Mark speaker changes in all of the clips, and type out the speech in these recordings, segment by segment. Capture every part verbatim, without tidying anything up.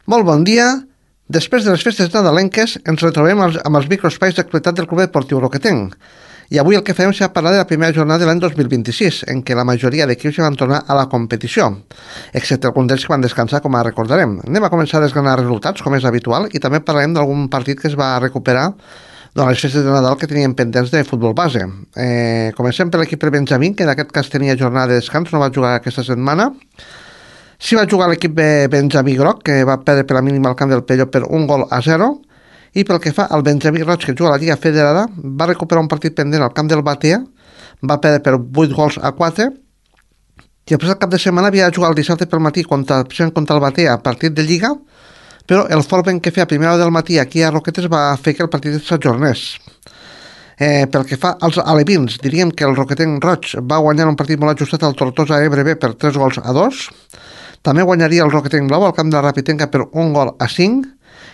Speaker 1: Molt bon dia. Després de les festes nadalenques ens retrobem als, amb els microespais d'actualitat del Club Deportiu Roquetenc. I avui el que farem serà parlar de la primera jornada de l'any dos mil vint-i-sis, en què la majoria d'equips van tornar a la competició, excepte alguns d'ells que van descansar, com ara recordarem. Anem a començar a desgranar resultats, com és habitual, i també parlarem d'algun partit que es va recuperar durant les festes de Nadal que tenien pendents de futbol base. Eh, comencem per l'equip de Benjamín, que en aquest cas tenia jornada de descans, no va jugar aquesta setmana. Sí va jugar l'equip de Benjamí Groc, que va perdre per la mínima al camp del Pello per un gol a zero, i pel que fa al Benjamí Roig, que juga a la Lliga Federada, va recuperar un partit pendent al camp del Batea, va perdre per vuit gols a quatre, i després el cap de setmana havia de jugar el dissabte pel matí contra, contra el Batea, partit de Lliga, però el Forben que feia a primera hora del matí aquí a Roquetes va fer que el partit s'ajornés. Eh, pel que fa als alevins, diríem que el Roquetenc Roig va guanyar un partit molt ajustat al Tortosa Ebre B per tres gols a dos. També guanyaria el Roquetenc Blau al camp de la Rapitenca per un gol a cinc,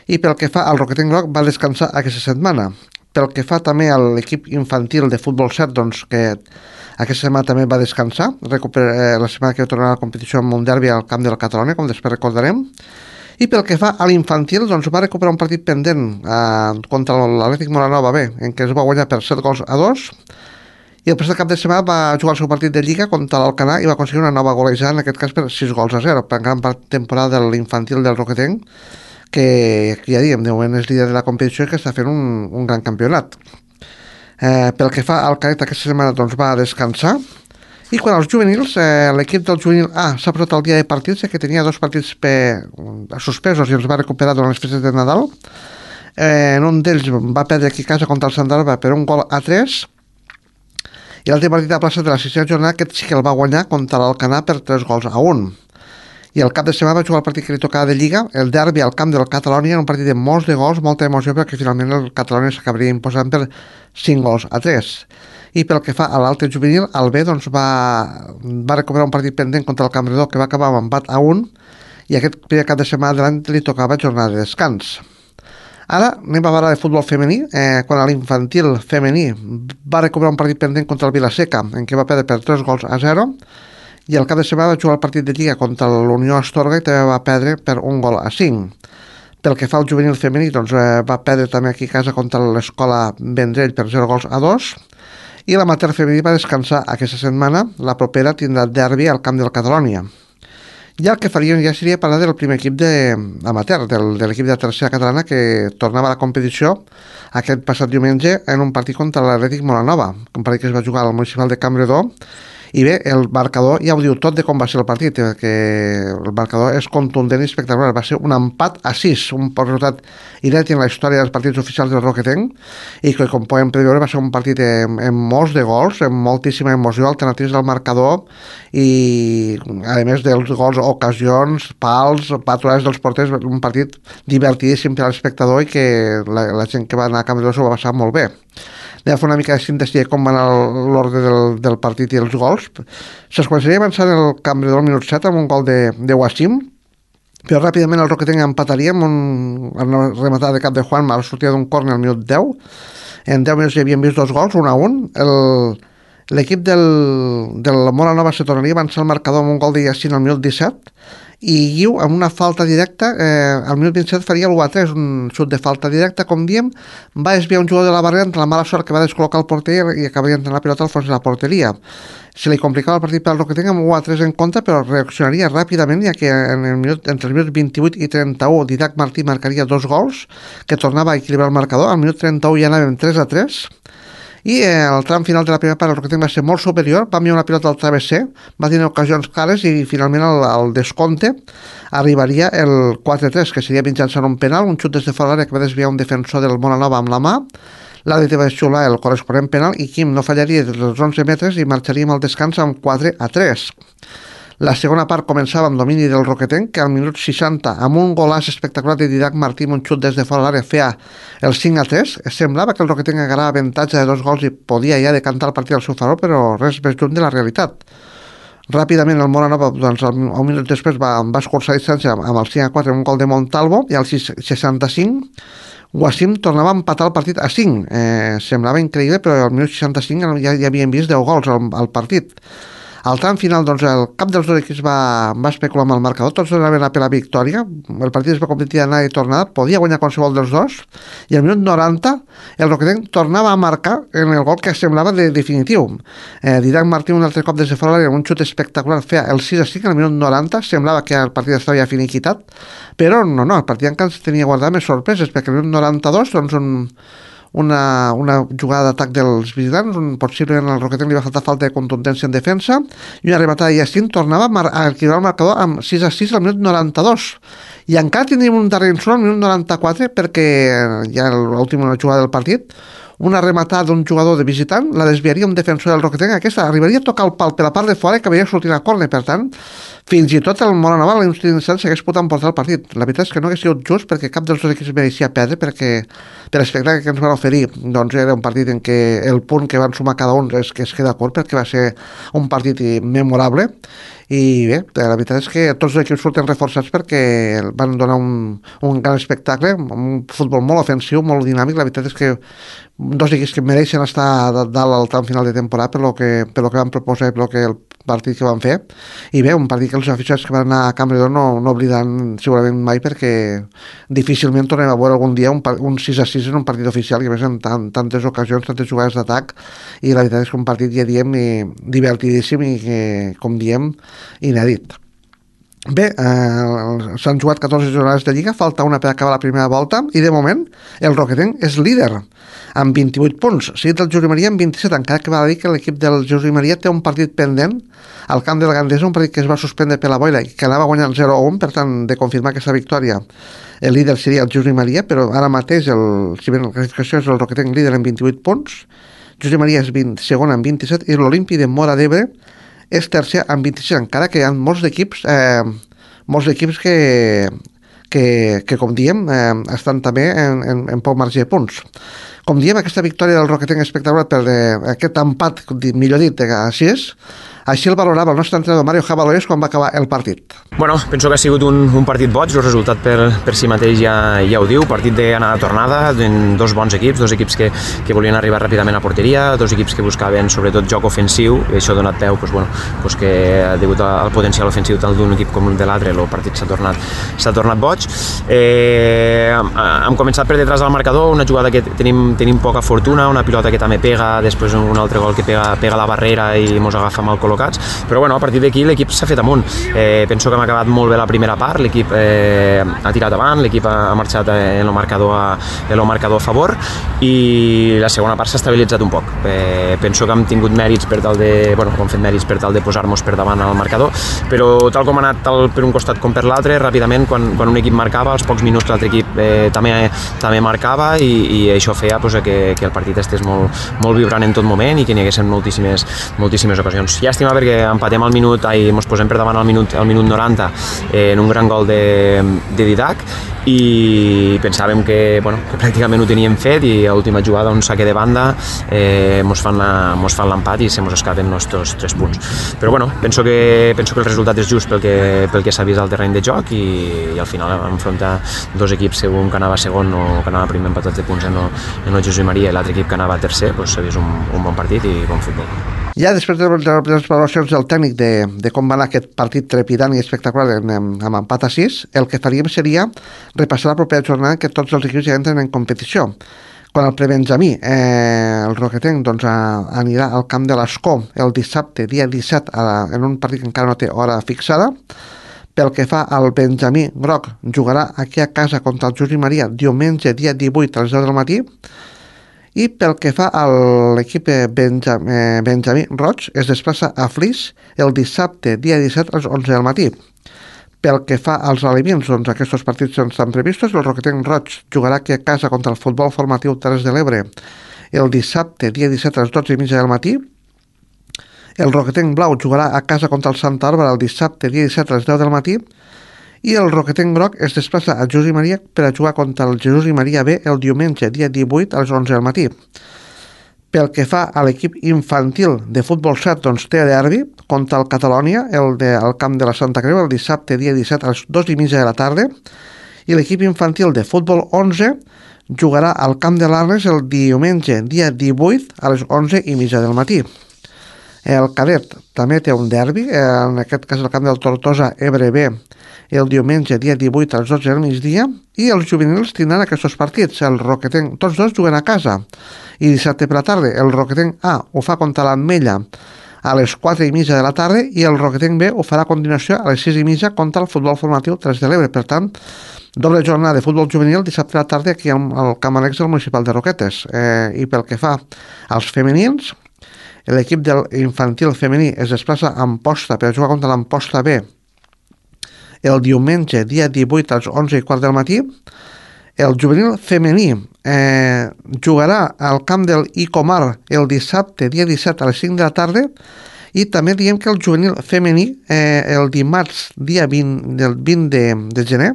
Speaker 1: i pel que fa al Roquetenc Groc va descansar aquesta setmana. Pel que fa també a l'equip infantil de futbol set, doncs que aquesta setmana també va descansar, recupera, eh, la setmana que va tornar a la competició amb un derbi al camp de la Catalunya, com després recordarem. I pel que fa a l'infantil, doncs va recuperar un partit pendent eh, contra l'Atlètic Moranova B, en què es va guanyar per set gols a dos, i després del cap de setmana va jugar el seu partit de Lliga contra l'Alcanar i va aconseguir una nova golejada, en aquest cas per sis gols a zero, per gran part temporada de l'infantil del Roquetenc, que ja diem, de moment és líder de la competició i que està fent un, un gran campionat. Eh, pel que fa al cadet, aquesta setmana doncs, va descansar. I quan als juvenils, eh, l'equip del juvenil A s'ha posat al dia de partits, que tenia dos partits per, suspesos i els va recuperar durant les festes de Nadal. Eh, en un d'ells va perdre aquí a casa contra el Sant Alba per un gol a tres, i l'altre partit a plaça de la sisena jornada, aquest sí que el va guanyar contra l'Alcanar per tres gols a un. I el cap de setmana va jugar el partit que li tocava de Lliga, el derbi al camp del Catalunya, un partit de molts de gols, molta emoció, perquè finalment el Catalunya s'acabaria imposant per cinc gols a tres. I pel que fa a l'altre juvenil, el B doncs, va, va recuperar un partit pendent contra el Campredó, que va acabar amb empat a un, i aquest primer cap de setmana de l'any li tocava jornada de descans. Ara anem a parlar de futbol femení, eh, quan l'infantil femení va recuperar un partit pendent contra el Vilaseca, en què va perdre per tres gols a zero, i el cap de setmana va jugar el partit de Lliga contra l'Unió Astorga i també va perdre per un gol a cinc. Pel que fa al juvenil femení, doncs, eh, va perdre també aquí a casa contra l'Escola Vendrell per zero gols a dos, i l'amateur femení va descansar aquesta setmana. La propera tindrà derbi al camp del Catalunya. I el que faríem ja seria parlar del primer equip de amateur, del, de l'equip de tercera catalana, que tornava a la competició aquest passat diumenge en un partit contra l'Atlètic Moranova, un partit que es va jugar al municipal de Campredó. I bé, el marcador ja ho diu tot de com va ser el partit, que el marcador és contundent i espectacular. Va ser un empat a sis, un resultat inèdit en la història dels partits oficials del Roquetenc, i que, com podem preveure, va ser un partit amb, amb molts de gols, amb moltíssima emoció, alternatives del marcador, i a més dels gols, ocasions, pals, patrulades dels porters, un partit divertidíssim per a l'espectador i que la, la gent que va anar a Campredó s'ho va passar molt bé. Anem a fer una mica de síntesi de com va anar l'ordre del, del partit i els gols. Se'ls començaria avançant el Campredó al minut set amb un gol de, de Wassim, però ràpidament el Roquetenc empataria amb un, una rematada de cap de Juan, a la sortida d'un córner al minut deu. En deu minuts hi havien vist dos gols, un a un. El, l'equip del, del Moranova se tornaria a avançar el marcador amb un gol de Yacine al minut disset, i Guiu, amb una falta directa, eh, al minut vint-i-set faria l'u a tres, un xut de falta directa, com diem, va desviar un jugador de la barrera entre la mala sort que va descol·locar el porter i acabaria entrant la pilota al fons de la porteria. Se li complicava el partit per al Roquetenc amb u a tres en contra, però reaccionaria ràpidament, ja que en el minut, entre els minuts vint-i-vuit i trenta-u Didac Martí marcaria dos gols, que tornava a equilibrar el marcador. Al minut trenta-u ja anàvem tres a tres, i eh, el tram final de la primera part el Roquetenc va ser molt superior, va enviar una pilota al travesser, va tenir ocasions clares, i finalment el, el descompte arribaria el quatre a tres, que seria mitjançant un penal, un xut des de fora l'àrea que va desviar un defensor del Moranova amb la mà. L'àrbitre va xiular el corresponent penal i Quim no fallaria dels onze metres i marxaríem al descans amb quatre a tres. La segona part començava amb domini del Roquetenc, que al minut seixanta, amb un golàs espectacular de Didac Martí, un xut des de fora l'àrea, feia el cinc a tres. Semblava que el Roquetenc agarrava avantatge de dos gols i podia ja decantar el partit al seu favor, però res més lluny de la realitat. Ràpidament el Moranova, doncs, un minut després va, va escurçar distància amb el cinc a quatre, un gol de Montalvo, i al seixanta-cinc Wassim tornava a empatar el partit a cinc. Eh, semblava increïble, però al minut seixanta-cinc ja, ja havien vist deu gols al, al partit. Al tram final, doncs, el cap dels dos equips va, va especular amb el marcador, tots anaven a per la victòria, el partit es va competir d'anar i tornar, podia guanyar qualsevol dels dos, i al minut noranta el Roquetenc tornava a marcar en el gol que semblava de definitiu. Eh, Didac Martí un altre cop des de fora, un xut espectacular, feia el sis a cinc al minut noranta, semblava que el partit estava ja finiquitat, però no, no, el partit encara tenia guardat més sorpreses, perquè al minut noranta-dos, doncs, un Una, una jugada d'atac dels visitants, un, possiblement el Roquetenc li va faltar falta de contundència en defensa, i una rematada de Yacine tornava a, mar a equilibrar el marcador amb sis a sis al minut noranta-dos, i encara tindríem un darrer insult al minut noranta-quatre, perquè ja l'última jugada del partit, una rematada d'un jugador de visitant la desviaria un defensor del Roquetenc, aquesta arribaria a tocar el pal per la part de fora i acabaria sortint a córner, per tant fins i tot el Móra-Nova a l'instant s'hagués pogut emportar el partit. La veritat és que no hagués sigut just, perquè cap dels dos equips mereixia perdre, perquè per l'espectacle que ens van oferir doncs era un partit en què el punt que van sumar cada un és que es queda curt, perquè va ser un partit memorable. I bé, la veritat és que tots els equips surten reforçats perquè van donar un, un gran espectacle, un futbol molt ofensiu, molt dinàmic. La veritat és que dos equips que mereixen estar dalt al tram final de temporada per lo que, per lo que van proposar i per lo que el partit que van fer. I bé, un partit que els aficionats que van anar a Campredon no, no oblidaran segurament mai, perquè difícilment tornem a veure algun dia un, un sis a sis en un partit oficial, i a més en tant, tantes ocasions, tantes jugades d'atac, i la veritat és que un partit, ja diem, i divertidíssim i que, com diem, inèdit. Bé, eh, s'han jugat catorze jornades de Lliga, falta una per acabar la primera volta, i de moment el Roquetenc és líder amb vint-i-vuit punts, seguit del Josep Maria amb vint-i-set, encara que va dir que l'equip del Josep Maria té un partit pendent al camp de la Gandesa, un partit que es va suspendre per la boira i que anava guanyant zero a un, per tant, de confirmar aquesta victòria el líder seria el Josep Maria, però ara mateix el, si bé la classificació és el Roquetenc líder amb vint-i-vuit punts, Josep Maria és vint, segon amb vint-i-set, i l'Olimpi de Móra d'Ebre és tercer amb vint-i-sis, encara que hi ha molts equips eh, molts equips que, que, que com diem, eh, estan també en, en, en poc marge de punts. Com diem, aquesta victòria del Roquetenc espectacular per de, aquest empat, millor dit, a sis, així el valorava el nostre entrenador Mario Javalois quan va acabar el partit.
Speaker 2: Bueno, penso que ha sigut un, un partit boig, el resultat per, per si mateix ja, ja ho diu, partit d'anada-tornada, dos bons equips, dos equips que, que volien arribar ràpidament a porteria, dos equips que buscaven sobretot joc ofensiu, i això ha donat peu pues, bueno, pues que degut al potencial ofensiu tant d'un equip com de l'altre, el partit s'ha tornat, s'ha tornat boig. Eh, hem començat per detrás del marcador, una jugada que tenim, tenim poca fortuna, una pilota que també pega, després un altre gol que pega, pega la barrera i mos agafa mal col·locat, però bueno, a partir d'aquí l'equip s'ha fet amunt. Eh, penso que hem acabat molt bé la primera part, l'equip eh, ha tirat avant, l'equip ha, ha marxat en el marcador a, en el marcador a favor, i la segona part s'ha estabilitzat un poc. Eh, penso que hem tingut mèrits per tal de, bueno, hem fet mèrits per tal de posar-nos per davant al marcador, però tal com ha anat tal per un costat com per l'altre, ràpidament quan, quan un equip marcava, als pocs minuts l'altre equip eh, també, també marcava, i, i això feia pues, que, que el partit estés molt, molt vibrant en tot moment i que n'hi haguessin moltíssimes, moltíssimes ocasions. Llàstima perquè empatem al minut, ai, ens posem per davant al minut, al minut noranta eh, en un gran gol de, de Didac, i pensàvem que, bueno, que pràcticament ho teníem fet, i a l'última jugada un saque de banda eh, mos fan l'empat i se mos escapen els nostres tres punts. Però bueno, penso que, penso que el resultat és just pel que, pel que s'ha vist al terreny de joc, i, i al final enfrontar dos equips, un que anava segon o que anava primer empatats de punts en el, en el Josep Maria, i l'altre equip que anava tercer, pues, s'ha vist un, un bon partit i bon futbol.
Speaker 1: Ja després de les valoracions del tècnic de, de com va anar aquest partit trepidant i espectacular amb, amb empat a sis, el que faríem seria repassar la propera jornada en què tots els equips ja entren en competició. Quan el prebenjamí, eh, el Roquetenc, doncs, a, anirà al camp de l'Escó el dissabte, dia disset, a, en un partit que encara no té hora fixada. Pel que fa al Benjamí Groc, jugarà aquí a casa contra el Josep Maria diumenge, dia divuit, a les deu del matí. I pel que fa a l'equip Benjam, eh, Benjamí Roig, es desplaça a Flix el dissabte, dia disset, a les onze del matí. Pel que fa als alevins, doncs aquests partits estan previstos. El Roquetenc Roig jugarà aquí a casa contra el Futbol Formatiu Terres de l'Ebre el dissabte, dia disset, a les dotze i mitja del matí. El Roquetenc Blau jugarà a casa contra el Santa Bàrbara el dissabte, dia disset, a les deu del matí. I el Roquetenc Groc es desplaça a Josep Maria per a jugar contra el Jesús i Maria B el diumenge, dia divuit, a les onze del matí. Pel que fa a l'equip infantil de futbol set, doncs té derbi contra el Catalònia, el de, al camp de la Santa Creu, el dissabte, dia disset, a les dues i mitja de la tarda. I l'equip infantil de futbol onze jugarà al camp de l'Arles el diumenge, dia divuit, a les onze i mitja del matí. El cadet també té un derbi, en aquest cas el camp del Tortosa Ebre B, el diumenge dia divuit a les dotze del migdia, i els juvenils tindran aquests partits. El Roquetenc, tots dos juguen a casa, i dissabte per la tarda el Roquetenc A ho fa contra l'Ametlla a les quatre i mitja de la tarda i el Roquetenc B ho farà a continuació a les sis i mitja contra el futbol formatiu tres de l'Ebre. Per tant, doble jornada de futbol juvenil dissabte a la tarda aquí al Camp Annex del Municipal de Roquetes. Eh, I pel que fa als femenins, l'equip del infantil femení es desplaça a Amposta per jugar contra l'Amposta B el diumenge dia divuit a les onze i quart del matí. El juvenil femení eh, jugarà al camp del Icomar el dissabte dia disset a les cinc de la tarda, i també diem que el juvenil femení eh, el dimarts dia vint, del vint de, de gener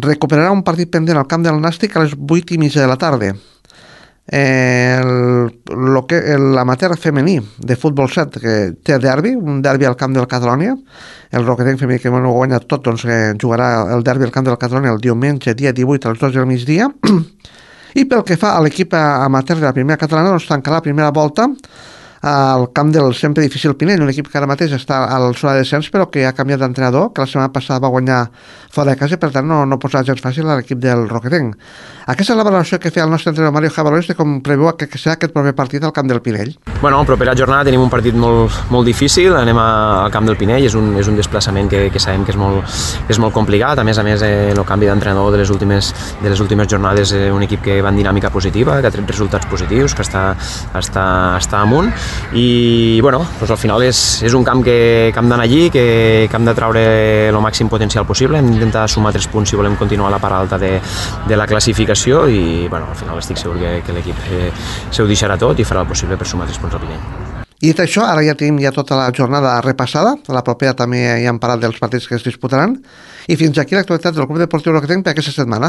Speaker 1: recuperarà un partit pendent al camp del Nàstic a les vuit i mitja de la tarda. Eh, el, lo que, l'amateur femení de futbol set que té derbi, un derbi al camp del Catalonia, el Roquetenc femení que no ho guanya tot, doncs eh, jugarà el derbi al camp del Catalonia el diumenge dia divuit a les dotze del migdia. I pel que fa a l'equip amateur de la primera catalana, doncs tancarà la primera volta al camp del sempre difícil Pinell, un equip que ara mateix està a la zona de descens però que ha canviat d'entrenador, que la setmana passada va guanyar fora de casa, per tant no, no posarà gens fàcil a l'equip del Roquetenc. Aquesta és la valoració que feia el nostre entrenador Mario Jabalós de com preveu que, que serà aquest proper partit al camp del Pinell.
Speaker 2: Bueno, propera jornada tenim un partit molt, molt difícil, anem a, al camp del Pinell, és un, és un desplaçament que, que sabem que és molt, que és molt complicat, a més a més eh, el canvi d'entrenador de les últimes, de les últimes jornades, eh, un equip que va en dinàmica positiva, que ha tret resultats positius, que està, està, està amunt, i bueno, doncs al final és, és un camp que, que hem d'anar allí, que, que hem de treure el màxim potencial possible, hem d'intentar sumar tres punts si volem continuar a la part alta de, de la classificació, i bueno, al final estic segur que, que l'equip eh, se ho deixarà tot i farà el possible per sumar tres punts al Pinell.
Speaker 1: I dit això, ara ja tenim ja tota la jornada repassada, a la propera també ja hem parlat dels partits que es disputaran, i fins aquí l'actualitat del Club Deportiu Roquetenc per aquesta setmana.